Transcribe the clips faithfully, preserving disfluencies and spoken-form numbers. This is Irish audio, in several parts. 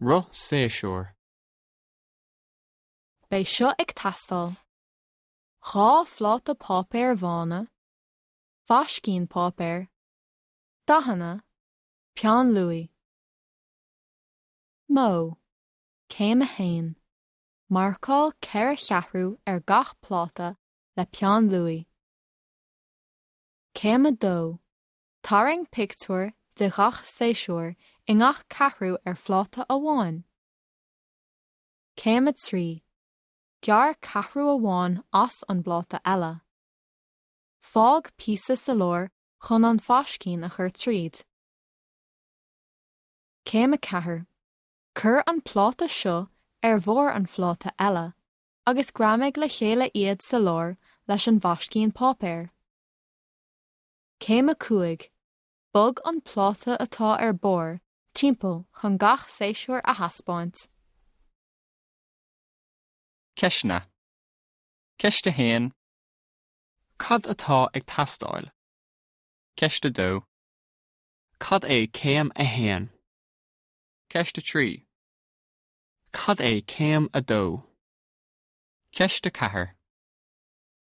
Roth séasúr. Beidh seo ag teastáil. Dhá phláta páipéir bhána, faiscín páipéir, dathanna, peann luaí. Modh. Céim a haon. Marcáil ceithre cheathrú ar gach pláta le peann luaí. Céim a dó. Tarraing pictiúr de ghach séasúr i ngach ceathrú ar phláta amháin. Céim a trí. Gearr ceathrú amháin as an bpláta eile. Fág píosa sa lár chun an faiscín a chur tríd. Céim a ceathair. Cuir an pláta seo ar bharr an phláta eile, agus greamaigh le chéile iad sa lár leis an bhfaiscín páipéir. Céim a cúig. Bog an pláta atá ar barr timpeall chun gach séasúr a thaispeáint. Ceisteanna. Ceist a haon. Cad atá ag teastáil? Ceist a dó. Cad é céim a haon? Ceist a trí. Cad é céim a dó? Ceist a ceathair.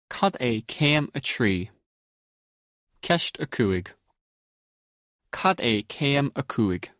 Cad é céim a trí? Ceist a cúig. Cad é céim a cúig?